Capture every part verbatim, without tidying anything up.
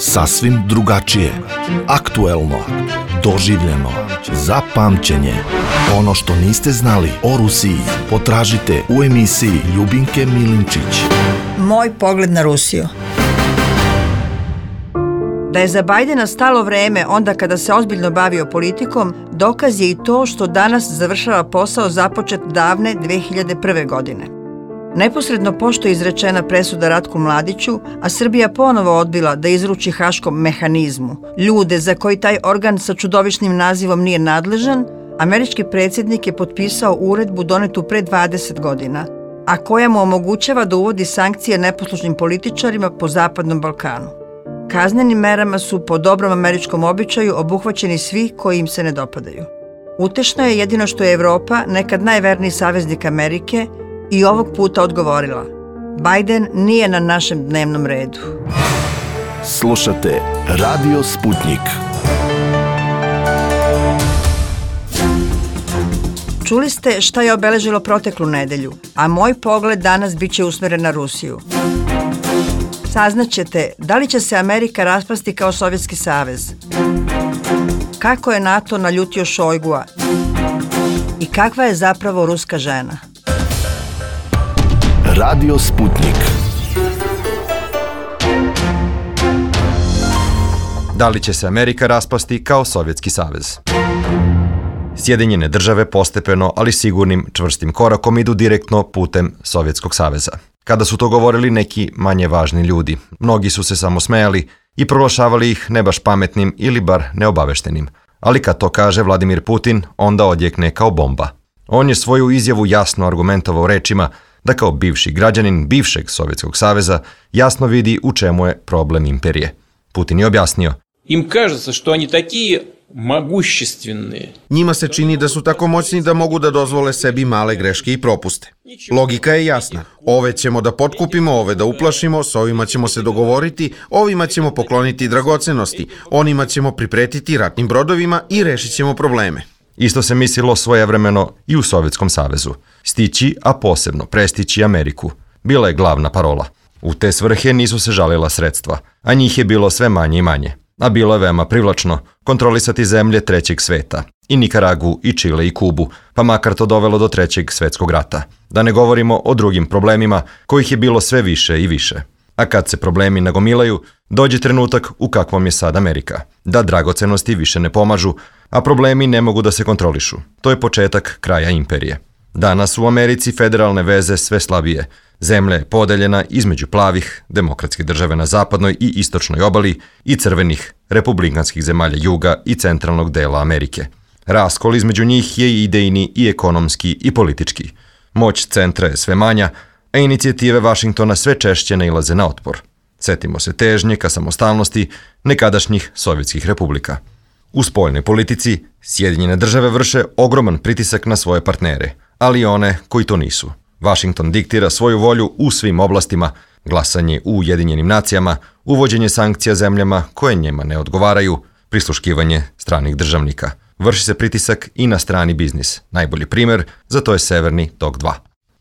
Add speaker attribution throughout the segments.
Speaker 1: Sasvim drugačije, aktuelno, doživljeno, za pamćenje. Ono što niste znali o Rusiji potražite u emisiji Ljubinke Milinčić.
Speaker 2: Moj pogled na Rusiju. Da je za Bajdena stalo vreme onda kada se ozbiljno bavio politikom, dokaz je i to što danas završava posao započet davne dve hiljade prve. godine. Neposredno pošto je izrečena presuda Ratku Mladiću, a Srbija ponovo odbila da izruči haškom mehanizmu ljude za koji taj organ sa čudovišnim nazivom nije nadležan, američki predsjednik je potpisao uredbu donetu pre dvadeset godina, a koja mu omogućava da uvodi sankcije neposlušnim političarima po Zapadnom Balkanu. Kaznenim merama su po dobrom američkom običaju obuhvaćeni svi koji im se ne dopadaju. Utešno je jedino što je Evropa, nekad najverniji saveznik Amerike, i ovog puta odgovorila: Bajden nije na našem dnevnom redu.
Speaker 1: Slušate Radio Sputnik.
Speaker 2: Čuli ste šta je obeležilo proteklu nedelju, a moj pogled danas bit će usmeren na Rusiju. Saznaćete da li će se Amerika raspasti kao Sovjetski savez, kako je NATO naljutio Šojgua i kakva je zapravo ruska žena.
Speaker 1: Radio Sputnik.
Speaker 3: Da li će se Amerika raspasti kao Sovjetski savez? Sjedinjene države postepeno, ali sigurnim, čvrstim korakom idu direktno putem Sovjetskog saveza. Kada su to govorili neki manje važni ljudi, mnogi su se samo smejali i proglašavali ih ne baš pametnim ili bar neobaveštenim. Ali kad to kaže Vladimir Putin, onda odjekne kao bomba. On je svoju izjavu jasno argumentovao rečima da kao bivši građanin bivšeg Sovjetskog saveza jasno vidi u čemu je problem imperije. Putin je objasnio:
Speaker 4: Im кажется, što oni такие mogućstveni.
Speaker 5: Njima se čini da su tako moćni da mogu da dozvole sebi male greške i propuste. Logika je jasna. Ove ćemo da potkupimo, ove da uplašimo, s ovima ćemo se dogovoriti, ovima ćemo pokloniti dragocenosti, onima ćemo pripretiti ratnim brodovima i rešit ćemo probleme.
Speaker 3: Isto se mislilo svojevremeno i u Sovjetskom savezu. Stići, a posebno prestići Ameriku, bila je glavna parola. U te svrhe nisu se žalila sredstva, a njih je bilo sve manje i manje. A bilo je veoma privlačno kontrolisati zemlje trećeg sveta, i Nikaragu, i Čile, i Kubu, pa makar to dovelo do trećeg svetskog rata. Da ne govorimo o drugim problemima, kojih je bilo sve više i više. A kad se problemi nagomilaju, dođe trenutak u kakvom je sad Amerika, da dragocenosti više ne pomažu, a problemi ne mogu da se kontrolišu. To je početak kraja imperije. Danas u Americi federalne veze sve slabije. Zemlja je podeljena između plavih, demokratske države na zapadnoj i istočnoj obali i crvenih, republikanskih zemalja juga i centralnog dela Amerike. Raskol između njih je i idejni i ekonomski i politički. Moć centra je sve manja, a inicijative Vašingtona sve češće nailaze na otpor. Setimo se težnje ka samostalnosti nekadašnjih sovjetskih republika. U spoljnoj politici Sjedinjene države vrše ogroman pritisak na svoje partnere, ali i one koji to nisu. Vašington diktira svoju volju u svim oblastima, glasanje u Ujedinjenim nacijama, uvođenje sankcija zemljama koje njima ne odgovaraju, prisluškivanje stranih državnika. Vrši se pritisak i na strani biznis. Najbolji primer za to je Severni tok dva.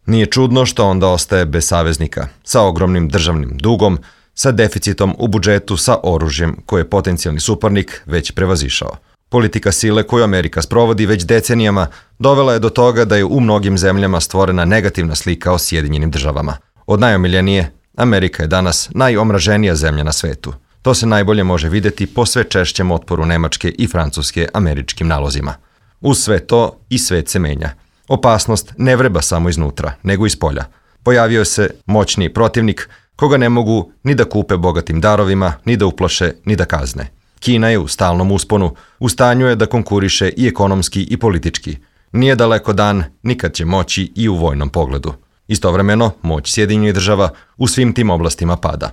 Speaker 3: Nije čudno što onda ostaje bez saveznika, sa ogromnim državnim dugom, sa deficitom u budžetu, sa oružjem koje je potencijalni suparnik već prevazišao. Politika sile koju Amerika sprovodi već decenijama dovela je do toga da je u mnogim zemljama stvorena negativna slika o Sjedinjenim državama. Od najomiljenije, Amerika je danas najomraženija zemlja na svetu. To se najbolje može vidjeti po sve češćem otporu Nemačke i Francuske američkim nalozima. Uz sve to i svet se menja. Opasnost ne vreba samo iznutra, nego iz polja. Pojavio se moćni protivnik koga ne mogu ni da kupe bogatim darovima, ni da uplaše, ni da kazne. Kina je u stalnom usponu, u stanju je da konkuriše i ekonomski i politički. Nije daleko dan, nikad će moći i u vojnom pogledu. Istovremeno, moć Sjedinjenih država u svim tim oblastima pada.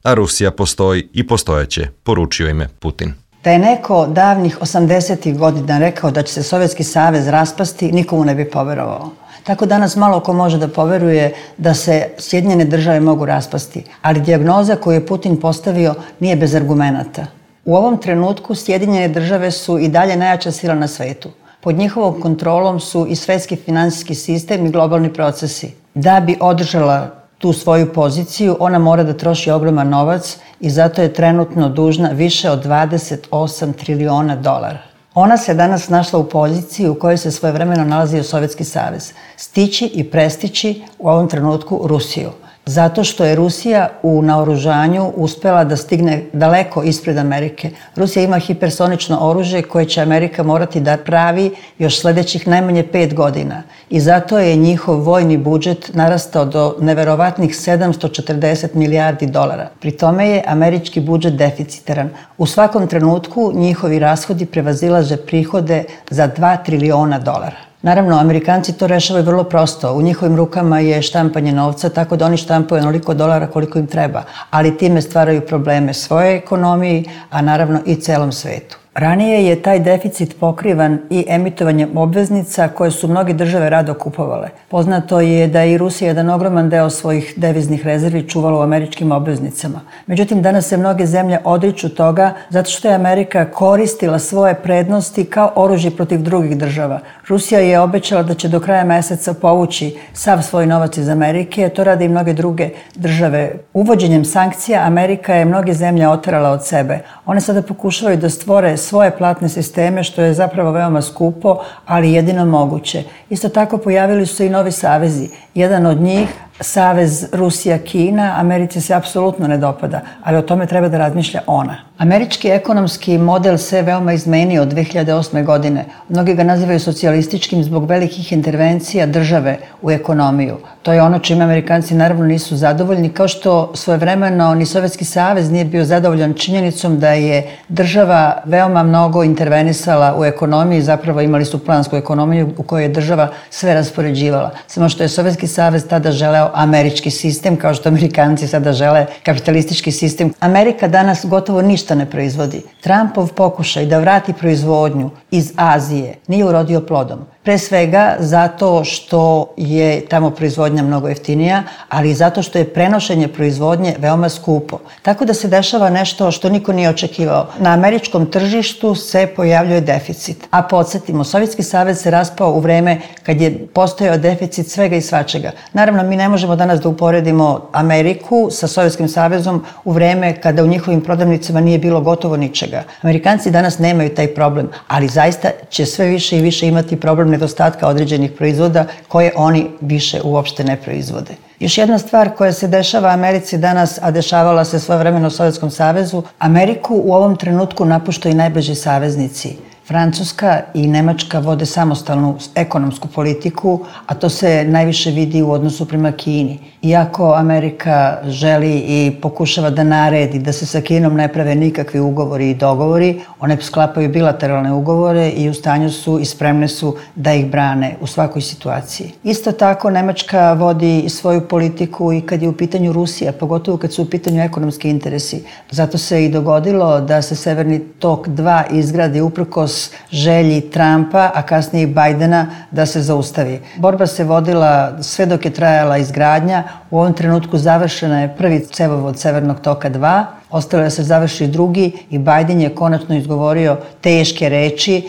Speaker 3: A Rusija postoji i postojeće, poručio im je Putin.
Speaker 2: Da je neko davnih osamdesetih godina rekao da će se Sovjetski savez raspasti, nikomu ne bi poverovao. Tako danas malo ko može da poveruje da se Sjedinjene države mogu raspasti, ali dijagnoza koju je Putin postavio nije bez argumenata. U ovom trenutku Sjedinjene države su i dalje najjača sila na svetu. Pod njihovom kontrolom su i svetski finansijski sistem i globalni procesi. Da bi održala tu svoju poziciju, ona mora da troši ogroman novac i zato je trenutno dužna više od dvadeset osam triliona dolara. Ona se danas našla u poziciji u kojoj se svojevremeno nalazio Sovjetski savez, stići i prestići u ovom trenutku Rusiju. Zato što je Rusija u naoružanju uspela da stigne daleko ispred Amerike. Rusija ima hipersonično oružje koje će Amerika morati da pravi još sledećih najmanje pet godina. I zato je njihov vojni budžet narastao do neverovatnih sedamsto četrdeset milijardi dolara. Pri tome je američki budžet deficitaran. U svakom trenutku njihovi rashodi prevazilaze prihode za dva triliona dolara. Naravno, Amerikanci to rešavaju vrlo prosto. U njihovim rukama je štampanje novca, tako da oni štampaju onoliko dolara koliko im treba, ali time stvaraju probleme svojoj ekonomiji, a naravno i celom svetu. Ranije je taj deficit pokrivan i emitovanjem obveznica koje su mnoge države rado kupovale. Poznato je da je i Rusija jedan ogroman deo svojih deviznih rezervi čuvala u američkim obveznicama. Međutim, danas se mnoge zemlje odriču toga zato što je Amerika koristila svoje prednosti kao oružje protiv drugih država. Rusija je obećala da će do kraja meseca povući sav svoj novac iz Amerike, to rade i mnoge druge države. Uvođenjem sankcija Amerika je mnoge zemlje oterala od sebe. One sada pokušavaju da stvore svoje platne sisteme, što je zapravo veoma skupo, ali jedino moguće. Isto tako pojavili su se i novi savezi. Jedan od njih, savez Rusija-Kina, Americi se apsolutno ne dopada, ali o tome treba da razmišlja ona. Američki ekonomski model se veoma izmenio od dve hiljade osme. godine. Mnogi ga nazivaju socijalističkim zbog velikih intervencija države u ekonomiju. To je ono čime Amerikanci naravno nisu zadovoljni, kao što svojevremeno ni Sovjetski savez nije bio zadovoljan činjenicom da je država veoma mnogo intervenisala u ekonomiji, zapravo imali su plansku ekonomiju u kojoj je država sve raspoređivala. Samo što je Sovjetski savez tada želeo američki sistem, kao što Amerikanci sada žele kapitalistički sistem. Amerika danas gotovo ništa ne proizvodi. Trumpov pokušaj da vrati proizvodnju iz Azije nije urodio plodom. Pre svega zato što je tamo proizvodnja mnogo jeftinija, ali i zato što je prenošenje proizvodnje veoma skupo. Tako da se dešava nešto što niko nije očekivao. Na američkom tržištu se pojavljuje deficit. A podsjetimo, Sovjetski savez se raspao u vreme kad je postojao deficit svega i svačega. Naravno, mi ne možemo danas da uporedimo Ameriku sa Sovjetskim savezom u vreme kada u njihovim prodavnicama nije bilo gotovo ničega. Amerikanci danas nemaju taj problem, ali zaista će sve više i više imati problem nedostatka određenih proizvoda koje oni više uopšte ne proizvode. Još jedna stvar koja se dešava Americi danas, a dešavala se svojevremeno u Sovjetskom savezu, Ameriku u ovom trenutku napuštaju i najbliži saveznici. Francuska i Nemačka vode samostalnu ekonomsku politiku, a to se najviše vidi u odnosu prema Kini. Iako Amerika želi i pokušava da naredi da se sa Kinom ne prave nikakvi ugovori i dogovori, one sklapaju bilateralne ugovore i u stanju su i spremne su da ih brane u svakoj situaciji. Isto tako Nemačka vodi svoju politiku i kad je u pitanju Rusija, pogotovo kad su u pitanju ekonomski interesi. Zato se i dogodilo da se Severni tok dva izgradi uprkos želji Trumpa, a kasnije i Bajdena da se zaustavi. Borba se vodila sve dok je trajala izgradnja. U ovom trenutku završena je prvi cevovod Severnog toka dva, ostalo je da se završi drugi i Bajden je konačno izgovorio teške reči,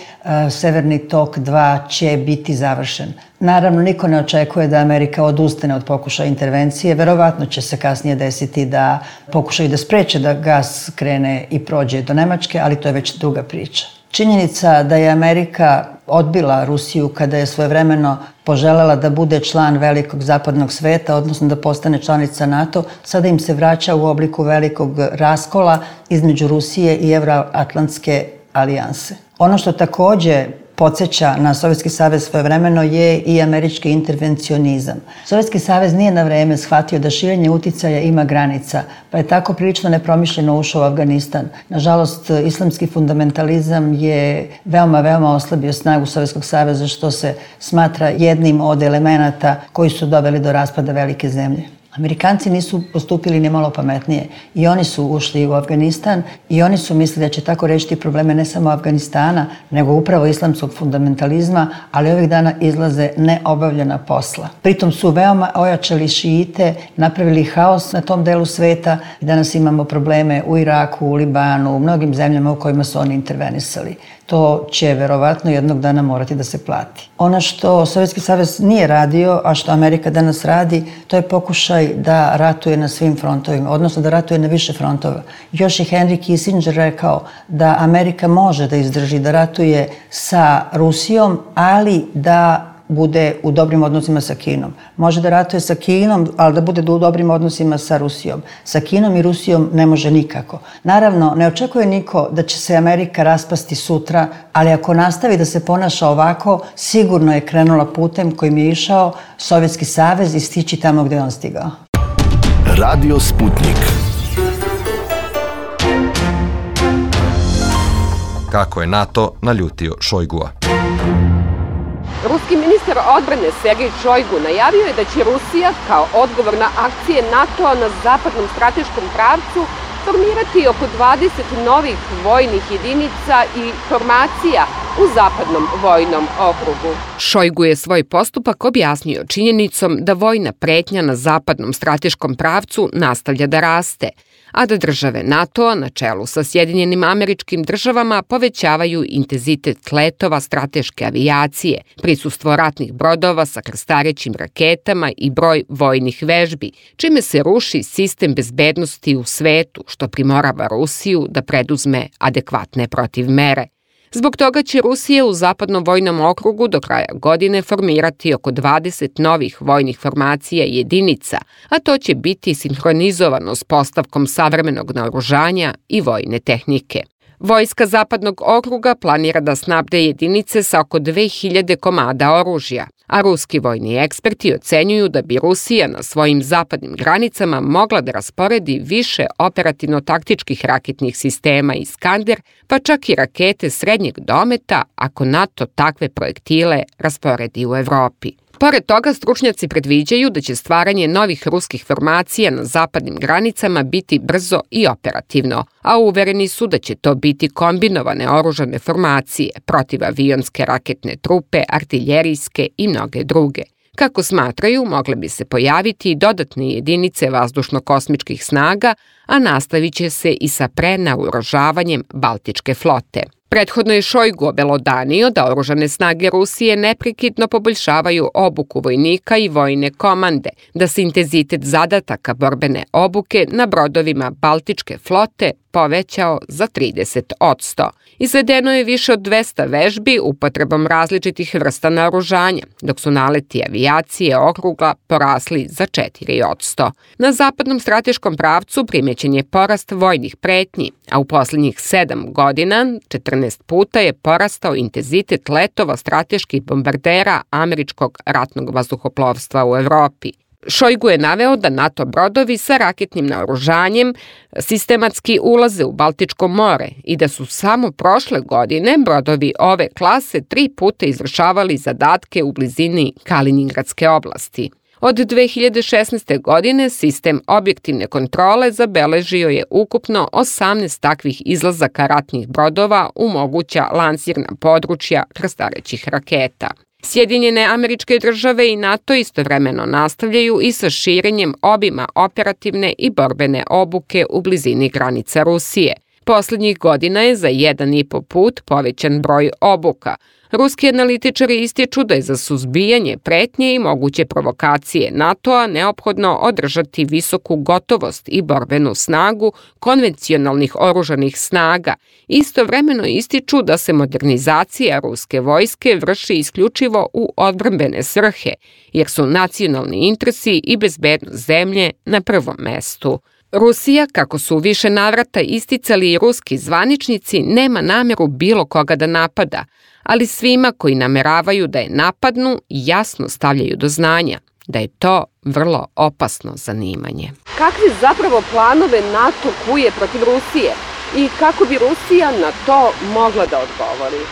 Speaker 2: Severni tok dva će biti završen. Naravno, niko ne očekuje da Amerika odustane od pokušaja intervencije, verovatno će se kasnije desiti da pokušaju da spreče da gas krene i prođe do Nemačke, ali to je već druga priča. Činjenica da je Amerika odbila Rusiju kada je svojevremeno poželela da bude član velikog zapadnog sveta, odnosno da postane članica NATO, sada im se vraća u obliku velikog raskola između Rusije i Evroatlantske alijanse. Ono što takođe podsjeća na Sovjetski savez svojevremeno je i američki intervencionizam. Sovjetski savez nije na vreme shvatio da širenje uticaja ima granica, pa je tako prilično nepromišljeno ušao u Afganistan. Nažalost, islamski fundamentalizam je veoma, veoma oslabio snagu Sovjetskog saveza, što se smatra jednim od elemenata koji su doveli do raspada velike zemlje. Amerikanci nisu postupili ni malo pametnije i oni su ušli u Afganistan i oni su mislili da će tako rešiti probleme ne samo Afganistana, nego upravo islamskog fundamentalizma, ali ovih dana izlaze neobavljena posla. Pritom su veoma ojačali šiite, napravili haos na tom delu sveta i danas imamo probleme u Iraku, u Libanu, u mnogim zemljama u kojima su oni intervenisali. to će verovatno jednog dana morati da se plati. Ono što Sovjetski savez nije radio, a što Amerika danas radi, to je pokušaj da ratuje na svim frontovima, odnosno da ratuje na više frontova. Još je Henry Kissinger rekao da Amerika može da izdrži da ratuje sa Rusijom, ali da bude u dobrim odnosima sa Kinom. Može da ratuje sa Kinom, ali da bude u dobrim odnosima sa Rusijom. Sa Kinom i Rusijom ne može nikako. Naravno, ne očekuje niko da će se Amerika raspasti sutra, ali ako nastavi da se ponaša ovako, sigurno je krenula putem kojim je išao Sovjetski savez i stići tamo gde je on stigao.
Speaker 1: Radio Sputnik.
Speaker 3: Kako je NATO naljutio Šojgua.
Speaker 6: Ruski ministar odbrane Sergej Šojgu najavio je da će Rusija kao odgovor na akcije NATO-a na zapadnom strateškom pravcu formirati oko dvadeset novih vojnih jedinica i formacija u zapadnom vojnom okrugu.
Speaker 7: Šojgu je svoj postupak objasnio činjenicom da vojna pretnja na zapadnom strateškom pravcu nastavlja da raste, a da države NATO-a na čelu sa Sjedinjenim Američkim Državama povećavaju intenzitet letova strateške avijacije, prisustvo ratnih brodova sa krstarećim raketama i broj vojnih vežbi, čime se ruši sistem bezbednosti u svetu, što primorava Rusiju da preduzme adekvatne protivmere. Zbog toga će Rusija u zapadnom vojnom okrugu do kraja godine formirati oko dvadeset novih vojnih formacija i jedinica, a to će biti sinhronizovano s postavkom savremenog naoružanja i vojne tehnike. Vojska zapadnog okruga planira da snabde jedinice sa oko dve hiljade komada oružja, a ruski vojni eksperti ocenjuju da bi Rusija na svojim zapadnim granicama mogla da rasporedi više operativno-taktičkih raketnih sistema Iskander, pa čak i rakete srednjeg dometa ako NATO takve projektile rasporedi u Evropi. Pored toga, stručnjaci predviđaju da će stvaranje novih ruskih formacija na zapadnim granicama biti brzo i operativno, a uvereni su da će to biti kombinovane oružane formacije, protivavionske raketne trupe, artiljerijske i mnoge druge. Kako smatraju, mogle bi se pojaviti i dodatne jedinice vazdušno-kosmičkih snaga, a nastavit će se i sa prenaoružavanjem Baltičke flote. Prethodno je Šojgu obelodanio da oružane snage Rusije neprekidno poboljšavaju obuku vojnika i vojne komande, da se intenzitet zadataka borbene obuke na brodovima Baltičke flote povećao za trideset posto. Izvedeno je više od dvesta vežbi upotrebom različitih vrsta naoružanja, dok su naleti avijacije okruga porasli za četiri posto. Na zapadnom strateškom pravcu primećen je porast vojnih pretnji, a u poslednjih sedam godina četrnaest puta je porastao intenzitet letova strateških bombardera američkog ratnog vazduhoplovstva u Evropi. Šojgu je naveo da NATO brodovi sa raketnim naoružanjem sistematski ulaze u Baltičko more i da su samo prošle godine brodovi ove klase tri puta izvršavali zadatke u blizini Kaliningradske oblasti. Od dve hiljade šesnaeste. godine sistem objektivne kontrole zabeležio je ukupno osamnaest takvih izlazaka ratnih brodova u moguća lansirna područja krstarećih raketa. Sjedinjene Američke Države i NATO istovremeno nastavljaju i sa širenjem obima operativne i borbene obuke u blizini granica Rusije. Poslednjih godina je za jedan i po put povećan broj obuka. Ruski analitičari ističu da je za suzbijanje pretnje i moguće provokacije NATO-a neophodno održati visoku gotovost i borbenu snagu konvencionalnih oružanih snaga. Istovremeno ističu da se modernizacija ruske vojske vrši isključivo u odbrambene svrhe, jer su nacionalni interesi i bezbednost zemlje na prvom mestu. Rusija, kako su više navrata isticali i ruski zvaničnici, nema nameru bilo koga da napada, ali svima koji nameravaju da je napadnu jasno stavljaju do znanja da je to vrlo opasno zanimanje.
Speaker 6: Kakve zapravo planove NATO kuje protiv Rusije i kako bi Rusija na to mogla da odgovori?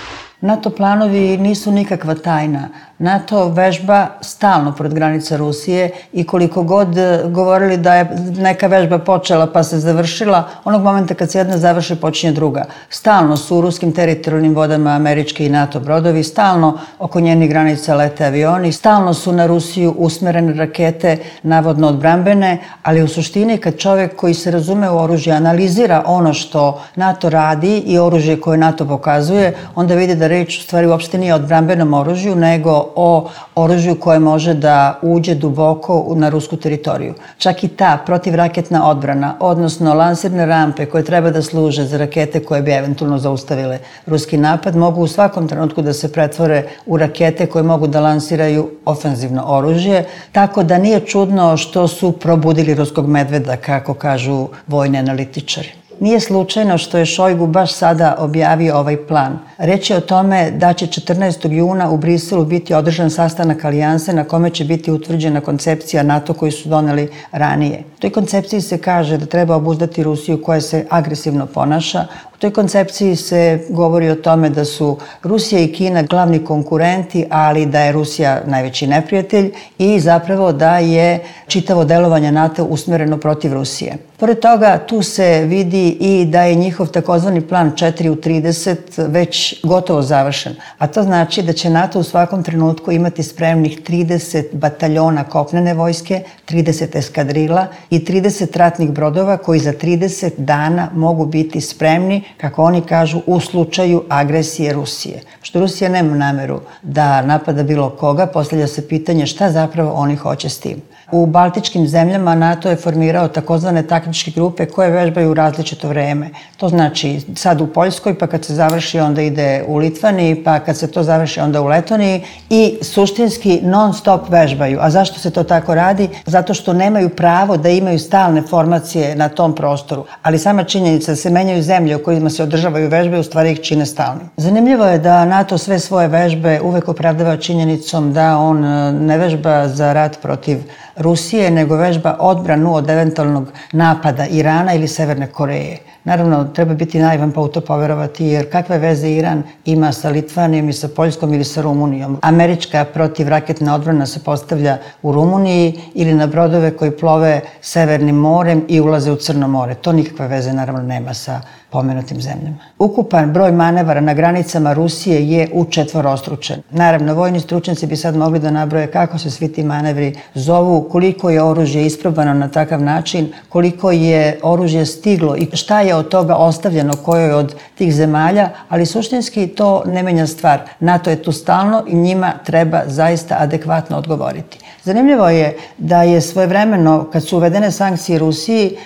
Speaker 2: NATO planovi nisu nikakva tajna. NATO vežba stalno pored granica Rusije i koliko god govorili da je neka vežba počela pa se završila, onog momenta kad se jedna završi počinje druga. Stalno su u ruskim teritorijalnim vodama američki i NATO brodovi, stalno oko njenih granica lete avioni, stalno su na Rusiju usmerene rakete, navodno odbrambene, ali u suštini kad čovjek koji se razume u oružje analizira ono što NATO radi i oružje koje NATO pokazuje, onda vidi da reč u stvari uopšte nije o odbrambenom oružju, nego o oružju koje može da uđe duboko na rusku teritoriju. Čak i ta protivraketna odbrana, odnosno lansirne rampe koje treba da služe za rakete koje bi eventualno zaustavile ruski napad, mogu u svakom trenutku da se pretvore u rakete koje mogu da lansiraju ofenzivno oružje, tako da nije čudno što su probudili ruskog medveda, kako kažu vojni analitičari. Nije slučajno što je Šojgu baš sada objavio ovaj plan. Reč je o tome da će četrnaestog juna u Briselu biti održan sastanak alijanse na kome će biti utvrđena koncepcija NATO koju su doneli ranije. U toj koncepciji se kaže da treba obuzdati Rusiju koja se agresivno ponaša. U toj koncepciji se govori o tome da su Rusija i Kina glavni konkurenti, ali da je Rusija najveći neprijatelj i zapravo da je čitavo delovanje NATO usmereno protiv Rusije. Pored toga, tu se vidi i da je njihov takozvani plan četiri u trideset već gotovo završen. A to znači da će NATO u svakom trenutku imati spremnih trideset bataljona kopnene vojske, trideset eskadrila i trideset ratnih brodova koji za trideset dana mogu biti spremni, kako oni kažu, u slučaju agresije Rusije. Što Rusija nema nameru da napada bilo koga, postavlja se pitanje šta zapravo oni hoće s tim. U baltičkim zemljama NATO je formirao takozvane taktičke grupe koje vežbaju u različito vreme. To znači sad u Poljskoj, pa kad se završi onda ide u Litvaniji, pa kad se to završi onda u Letoniji i suštinski non stop vežbaju. A zašto se to tako radi? Zato što nemaju pravo da imaju stalne formacije na tom prostoru. Ali sama činjenica da se menjaju zemlje u kojima se održavaju vežbe u stvari ih čine stalnim. Zanimljivo je da NATO sve svoje vežbe uvek opravdava činjenicom da on ne vežba za rat protiv Rusije, nego vežba odbranu od eventualnog napada Irana ili Severne Koreje. Naravno, treba biti naivan pa u to poverovati, jer kakve veze Iran ima sa Litvanijom i sa Poljskom ili sa Rumunijom? Američka protivraketna odbrana se postavlja u Rumuniji ili na brodove koji plove Severnim morem i ulaze u Crno more. To nikakve veze naravno nema sa pomenutim zemljama. Ukupan broj manevara na granicama Rusije je učetvorostručen. Naravno, vojni stručnjaci bi sad mogli da nabroje kako se svi ti manevri zovu, koliko je oružje isprobano na takav način, koliko je oružje stiglo i šta je od toga ostavljeno kojoj od tih zemalja, ali suštinski to ne menja stvar. NATO je tu stalno i njima treba zaista adekvatno odgovoriti. Zanimljivo je da je svojevremeno, kad su uvedene sankcije Rusiji,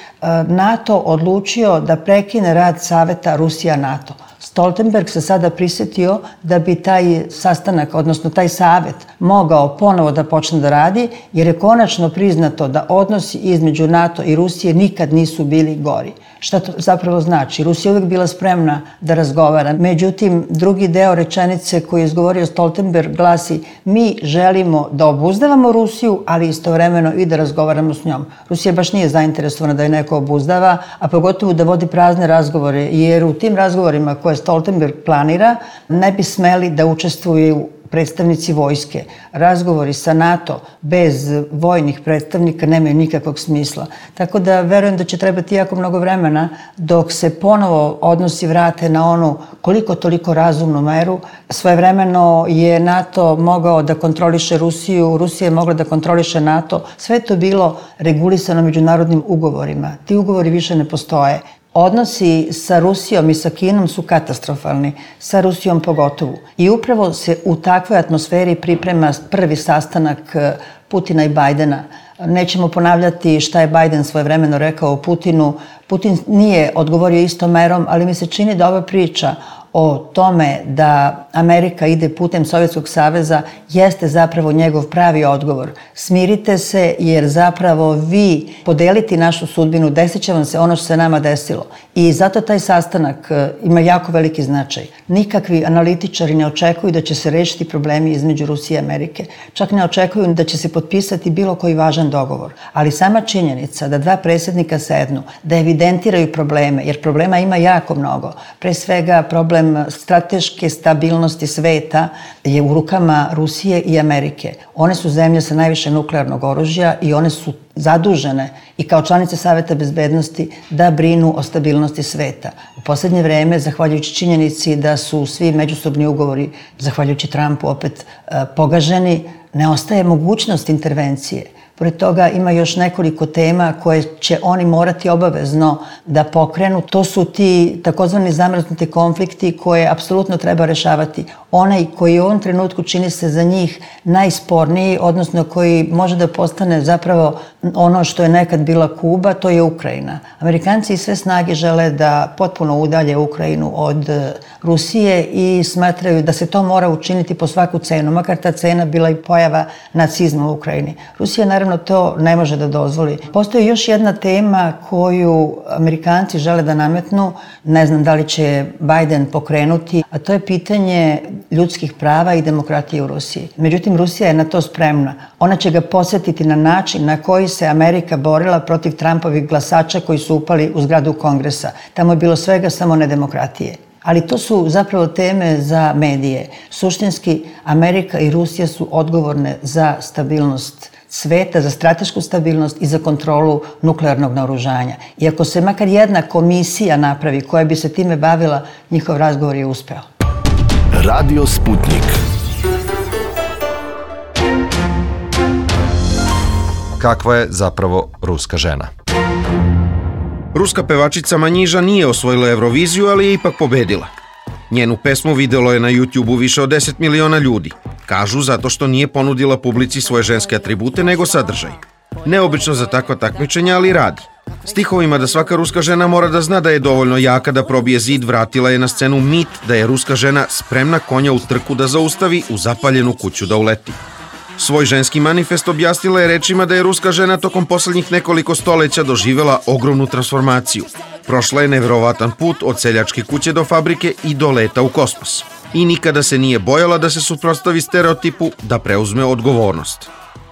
Speaker 2: NATO odlučio da prekine rad Saveta Rusija-NATO. Stoltenberg se sada prisjetio da bi taj sastanak, odnosno taj savet, mogao ponovo da počne da radi, jer je konačno priznato da odnosi između NATO i Rusije nikad nisu bili gori. Šta to zapravo znači? Rusija je uvijek bila spremna da razgovara. Međutim, drugi deo rečenice koju je izgovorio Stoltenberg glasi: mi želimo da obuzdavamo Rusiju, ali istovremeno i da razgovaramo s njom. Rusija baš nije zainteresovana da je neko obuzdava, a pogotovo da vodi prazne razgovore, jer u tim razgovorima koje Stoltenberg planira ne bi smeli da učestvuju predstavnici vojske. Razgovori sa NATO bez vojnih predstavnika nemaju nikakvog smisla. Tako da verujem da će trebati jako mnogo vremena dok se ponovo odnosi vrate na onu koliko toliko razumnu meru. Svojevremeno je NATO mogao da kontroliše Rusiju, Rusija je mogla da kontroliše NATO. Sve to bilo regulisano međunarodnim ugovorima. Ti ugovori više ne postoje. Odnosi sa Rusijom i sa Kinom su katastrofalni, sa Rusijom pogotovo. I upravo se u takvoj atmosferi priprema prvi sastanak Putina i Bajdena. Nećemo ponavljati šta je Bajden svojevremeno rekao o Putinu. Putin nije odgovorio istom merom, ali mi se čini da ova priča o tome da Amerika ide putem Sovjetskog saveza jeste zapravo njegov pravi odgovor. Smirite se, jer zapravo vi podeliti našu sudbinu, desit će vam se ono što se nama desilo. I zato taj sastanak ima jako veliki značaj. Nikakvi analitičari ne očekuju da će se rešiti problemi između Rusije i Amerike. Čak ne očekuju da će se potpisati bilo koji važan dogovor. Ali sama činjenica da dva predsjednika sednu, da evidentiraju probleme, jer problema ima jako mnogo. Pre svega problem problem strateške stabilnosti sveta je u rukama Rusije i Amerike. One su zemlje sa najviše nuklearnog oružja i one su zadužene i kao članice Saveta bezbednosti da brinu o stabilnosti sveta. U poslednje vreme, zahvaljujući činjenici da su svi međusobni ugovori, zahvaljujući Trumpu, opet pogaženi, ne ostaje mogućnost intervencije. Pored toga ima još nekoliko tema koje će oni morati obavezno da pokrenu. To su ti takozvani zamrznuti konflikti koje apsolutno treba rešavati. Onaj koji u ovom trenutku čini se za njih najsporniji, odnosno koji može da postane zapravo ono što je nekad bila Kuba, to je Ukrajina. Amerikanci i sve snage žele da potpuno udalje Ukrajinu od Rusije i smatraju da se to mora učiniti po svaku cenu, makar ta cena bila i pojava nacizma u Ukrajini. Rusija naravno to ne može da dozvoli. Postoji još jedna tema koju Amerikanci žele da nametnu, ne znam da li će Biden pokrenuti, a to je pitanje ljudskih prava i demokratije u Rusiji. Međutim, Rusija je na to spremna. Ona će ga posjetiti na način na koji se Amerika borila protiv Trumpovih glasača koji su upali u zgradu Kongresa. Tamo je bilo svega samo ne demokratije. Ali to su zapravo teme za medije. Suštinski, Amerika i Rusija su odgovorne za stabilnost sveta, za stratešku stabilnost i za kontrolu nuklearnog naoružanja. I ako se makar jedna komisija napravi koja bi se time bavila, njihov razgovor je uspeo.
Speaker 1: Radio Sputnik.
Speaker 3: Kakva je zapravo ruska žena?
Speaker 5: Ruska pevačica Manjiža nije osvojila Euroviziju, ali je ipak pobedila. Njenu pesmu videlo je na YouTube-u više od deset miliona ljudi. Kažu zato što nije ponudila publici svoje ženske atribute, nego sadržaj. Neobično za takva takmičenja, ali radi. Stihovima da svaka ruska žena mora da zna da je dovoljno jaka da probije zid, vratila je na scenu mit da je ruska žena spremna konja u trku da zaustavi, u zapaljenu kuću da uleti. Svoj ženski manifest objasnila je rečima da je ruska žena tokom poslednjih nekoliko stoleća doživela ogromnu transformaciju. Prošla je neverovatan put od seljačke kuće do fabrike i do leta u kosmos. I nikada se nije bojala da se suprotstavi stereotipu, da preuzme odgovornost.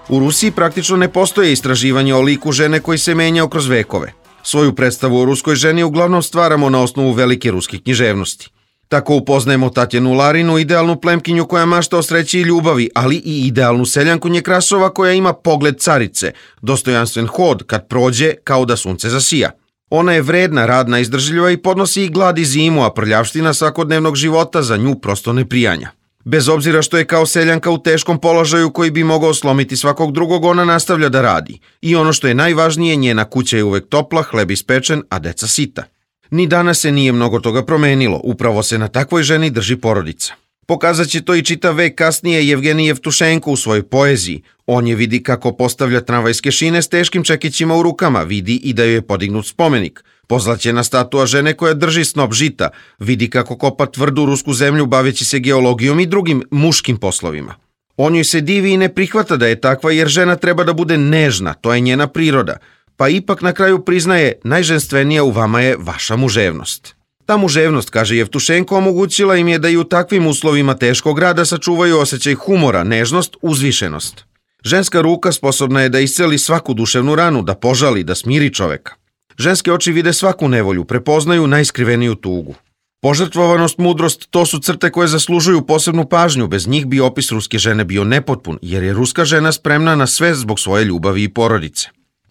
Speaker 5: U Rusiji praktično ne postoje istraživanje o liku žene koji se menjao kroz vekove. Svoju predstavu o ruskoj ženi uglavnom stvaramo na osnovu velike ruske književnosti. Tako upoznajemo Tatjanu Larinu, idealnu plemkinju koja mašta o sreći i ljubavi, ali i idealnu seljanku Njekrasova koja ima pogled carice, dostojanstven hod kad prođe kao da sunce zasija. Ona je vredna, radna, izdržljiva i podnosi i glad i zimu, a prljavština svakodnevnog života za nju prosto ne prijanja. Bez obzira što je kao seljanka u teškom položaju koji bi mogao slomiti svakog drugog, ona nastavlja da radi. I ono što je najvažnije, njena kuća je uvek topla, hleb ispečen, a deca sita. Ni danas se nije mnogo toga promenilo, upravo se na takvoj ženi drži porodica. Pokazat će to i čitav vek kasnije Jevgenij Jevtušenko u svojoj poeziji. On je vidi kako postavlja tramvajske šine s teškim čekićima u rukama, vidi i da joj je podignut spomenik. Pozlaćena statua žene koja drži snop žita, vidi kako kopa tvrdu rusku zemlju baveći se geologijom i drugim muškim poslovima. On joj se divi i ne prihvata da je takva jer žena treba da bude nežna, to je njena priroda. Pa ipak na kraju priznaje, najženstvenija u vama je vaša muževnost. Ta muževnost, kaže Jevtušenko, omogućila im je da i u takvim uslovima teškog rada sačuvaju osjećaj humora, nežnost, uzvišenost. Ženska ruka sposobna je da isceli svaku duševnu ranu, da požali, da smiri čoveka. Ženske oči vide svaku nevolju, prepoznaju najskriveniju tugu. Požrtvovanost, mudrost, to su crte koje zaslužuju posebnu pažnju, bez njih bi opis ruske žene bio nepotpun, jer je ruska žena spremna na sve zbog svoje ljubavi i porodice.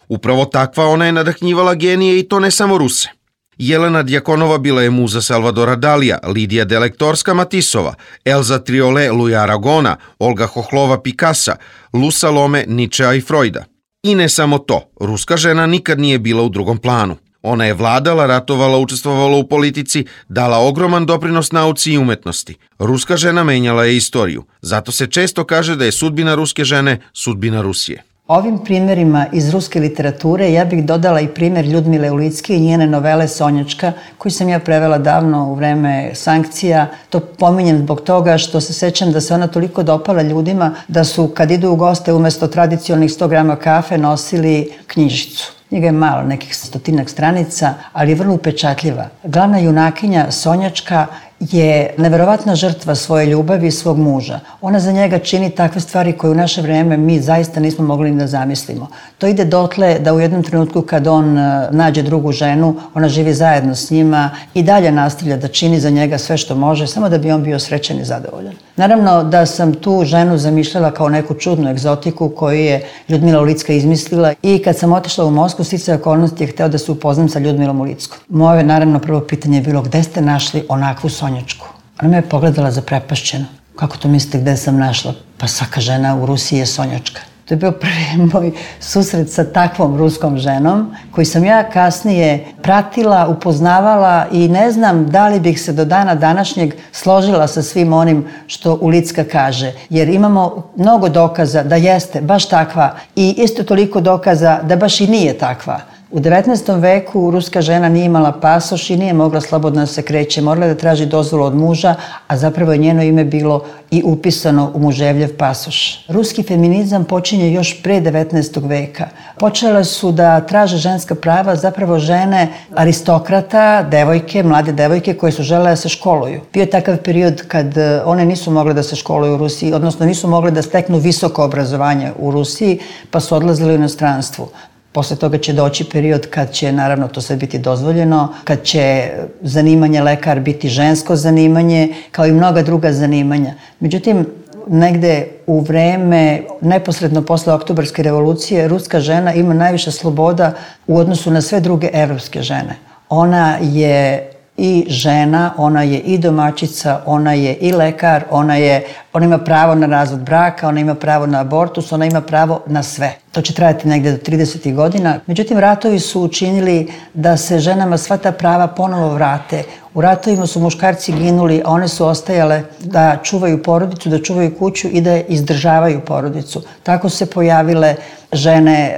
Speaker 5: Upravo takva ona je nadahnjivala genije i to ne samo Ruse. Jelena Djakonova bila je muza Salvadora Dalija, Lidija Delektorska Matisova, Elza Triole Luja Aragona, Olga Hohlova Pikasa, Lu Salome Ničea i Freuda. I ne samo to, ruska žena nikad nije bila u drugom planu. Ona je vladala, ratovala, učestvovala u politici, dala ogroman doprinos nauci i umetnosti. Ruska žena menjala je istoriju, zato se često kaže da je sudbina ruske žene sudbina Rusije.
Speaker 2: Ovim primjerima iz ruske literature ja bih dodala i primjer Ljudmile Ulicki i njene novele Sonjačka, koju sam ja prevela davno u vreme sankcija. To pominjem zbog toga što se sećam da se ona toliko dopala ljudima da su kad idu u goste umesto tradicionalnih sto grama kafe nosili knjižicu. Njega je malo, nekih stotinak stranica, ali je vrlo upečatljiva. Glavna junakinja Sonjačka je neverovatna žrtva svoje ljubavi i svog muža. Ona za njega čini takve stvari koje u naše vreme mi zaista nismo mogli ni da zamislimo. To ide dotle da u jednom trenutku kad on nađe drugu ženu, ona živi zajedno s njima i dalje nastavlja da čini za njega sve što može, samo da bi on bio srećan i zadovoljan. Naravno da sam tu ženu zamišljala kao neku čudnu egzotiku koju je Ljudmila Ulicka izmislila i kad sam otišla u Moskvu, sticaj okolnosti je hteo da se upoznam sa Ljudmilom Ulickom. Moje naravno prvo pitanje je bilo gde ste našli onakvu Sonjačku? Ona me je pogledala zaprepašćeno. Kako to mislite gde sam našla? Pa svaka žena u Rusiji je Sonjačka. To je bio prvi moj susret sa takvom ruskom ženom koji sam ja kasnije pratila, upoznavala i ne znam da li bih se do dana današnjeg složila sa svim onim što Ulicka kaže. Jer imamo mnogo dokaza da jeste baš takva i isto toliko dokaza da baš i nije takva. U devetnaestom veku ruska žena nije imala pasoš i nije mogla slobodno da se kreće. Morala da traži dozvolu od muža, a zapravo je njeno ime bilo i upisano u muževljev pasoš. Ruski feminizam počinje još pre devetnaestog veka. Počele su da traže ženska prava zapravo žene aristokrata, devojke, mlade devojke koje su žele da se školuju. Bio je takav period kad one nisu mogle da se školuju u Rusiji, odnosno nisu mogle da steknu visoko obrazovanje u Rusiji, pa su odlazile u inostranstvu. Posle toga će doći period kad će, naravno, to sve biti dozvoljeno, kad će zanimanje lekar biti žensko zanimanje, kao i mnoga druga zanimanja. Međutim, negde u vreme, neposredno posle Oktobarske revolucije, ruska žena ima najviše sloboda u odnosu na sve druge evropske žene. Ona je i žena, ona je i domaćica, ona je i lekar, ona je, ona ima pravo na razvod braka, ona ima pravo na abortus, ona ima pravo na sve. To će trajati negde do tridesetih godina. Međutim, ratovi su učinili da se ženama sva ta prava ponovo vrate. U ratovima su muškarci ginuli, a one su ostajale da čuvaju porodicu, da čuvaju kuću i da izdržavaju porodicu. Tako su se pojavile žene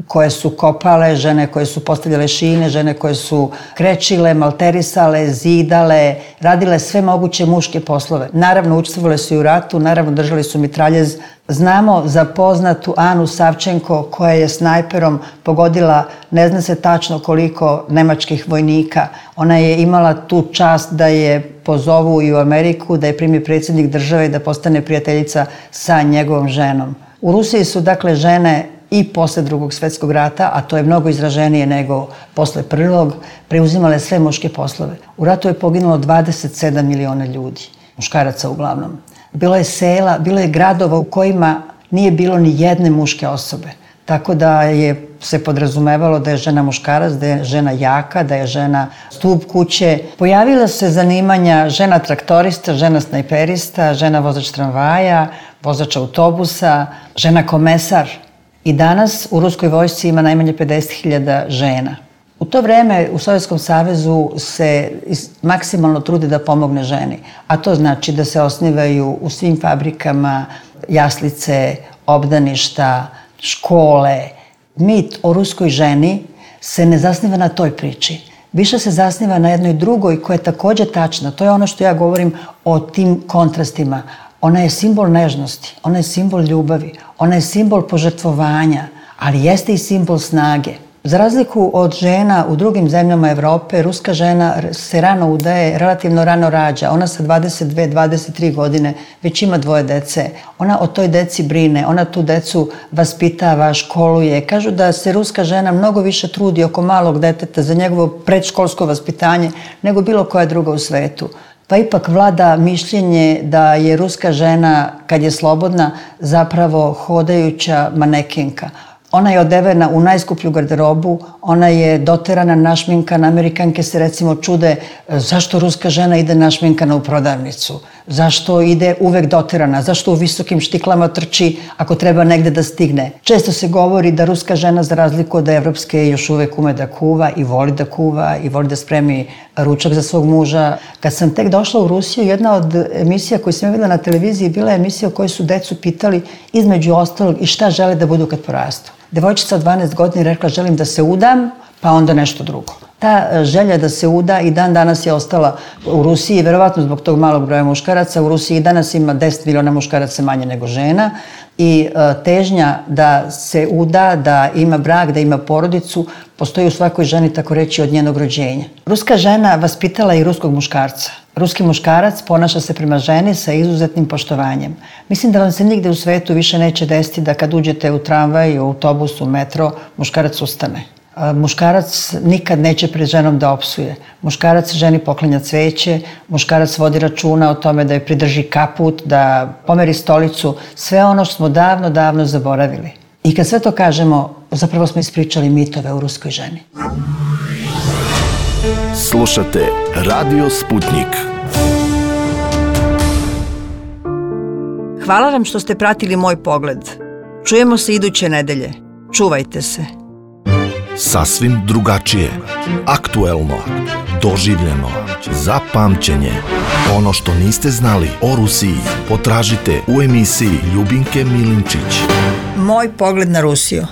Speaker 2: koje su kopale, žene koje su postavljale šine, žene koje su krečile, malterisale, zidale, radile sve moguće muške poslove. Naravno, učestvovale su i u ratu, naravno, držali su mitraljez. Znamo za poznatu Anu Savčenko koja je snajperom pogodila, ne zna se tačno koliko nemačkih vojnika. Ona je imala tu čast da je pozovu i u Ameriku, da je primi predsjednik države i da postane prijateljica sa njegovom ženom. U Rusiji su, dakle, žene i posle drugog svetskog rata, a to je mnogo izraženije nego posle prvog, preuzimale sve muške poslove. U ratu je poginulo dvadeset sedam miliona ljudi, muškaraca uglavnom. Bilo je sela, bilo je gradova u kojima nije bilo ni jedne muške osobe. Tako da je se podrazumevalo da je žena muškarac, da je žena jaka, da je žena stub kuće. Pojavila se zanimanja žena traktorista, žena snajperista, žena vozač tramvaja, vozač autobusa, žena komesar. I danas u ruskoj vojsci ima najmanje pedeset hiljada žena. U to vreme u Sovjetskom savezu se maksimalno trude da pomogne ženi, a to znači da se osnivaju u svim fabrikama jaslice, obdaništa, škole. Mit o ruskoj ženi se ne zasniva na toj priči. Više se zasniva na jednoj drugoj koja je takođe tačna. To je ono što ja govorim o tim kontrastima. Ona je simbol nežnosti, ona je simbol ljubavi, ona je simbol požrtvovanja, ali jeste i simbol snage. Za razliku od žena u drugim zemljama Evrope, ruska žena se rano udaje, relativno rano rađa. Ona sa dvadeset dve dvadeset tri godine već ima dvoje dece. Ona o toj deci brine, ona tu decu vaspitava, školuje. Kažu da se ruska žena mnogo više trudi oko malog deteta za njegovo predškolsko vaspitanje nego bilo koja druga u svetu. Pa ipak vlada mišljenje da je ruska žena, kad je slobodna, zapravo hodajuća manekenka. Ona je odevena u najskuplju garderobu, ona je doterana, našminkana. Amerikanke se recimo čude zašto ruska žena ide našminkana u prodavnicu, zašto ide uvek doterana, zašto u visokim štiklama trči ako treba negde da stigne. Često se govori da ruska žena, za razliku od evropske, još uvek ume da kuva i voli da kuva i voli da spremi ručak za svog muža. Kad sam tek došla u Rusiju, jedna od emisija koju sam videla na televiziji bila je emisija u kojoj su decu pitali između ostalog i šta žele da budu kad porastu. Devojčica od dvanaest godina rekla želim da se udam, pa onda nešto drugo. Ta želja da se uda i dan danas je ostala u Rusiji, verovatno zbog tog malog broja muškaraca. U Rusiji danas ima deset miliona muškaraca manje nego žena. I težnja da se uda, da ima brak, da ima porodicu, postoji u svakoj ženi, tako reći, od njenog rođenja. Ruska žena vaspitala i ruskog muškarca. Ruski muškarac ponaša se prema ženi sa izuzetnim poštovanjem. Mislim da vam se nigde u svetu više neće desiti da kad uđete u tramvaj, u autobus, u metro, muškarac ustane. Muškarac nikad neće pred ženom da opsuje. Muškarac ženi poklanja cveće, muškarac vodi računa o tome da je pridrži kaput, da pomeri stolicu, sve ono što smo davno, davno zaboravili. I kad sve to kažemo, zapravo smo ispričali mitove u ruskoj ženi.
Speaker 1: Slušate Radio Sputnik.
Speaker 2: Hvala vam što ste pratili moj pogled. Čujemo se iduće nedelje. Čuvajte se.
Speaker 1: Sasvim drugačije, aktuelno, doživljeno, za pamćenje. Ono što niste znali o Rusiji potražite u emisiji Ljubinke Milinčić.
Speaker 2: Moj pogled na Rusiju.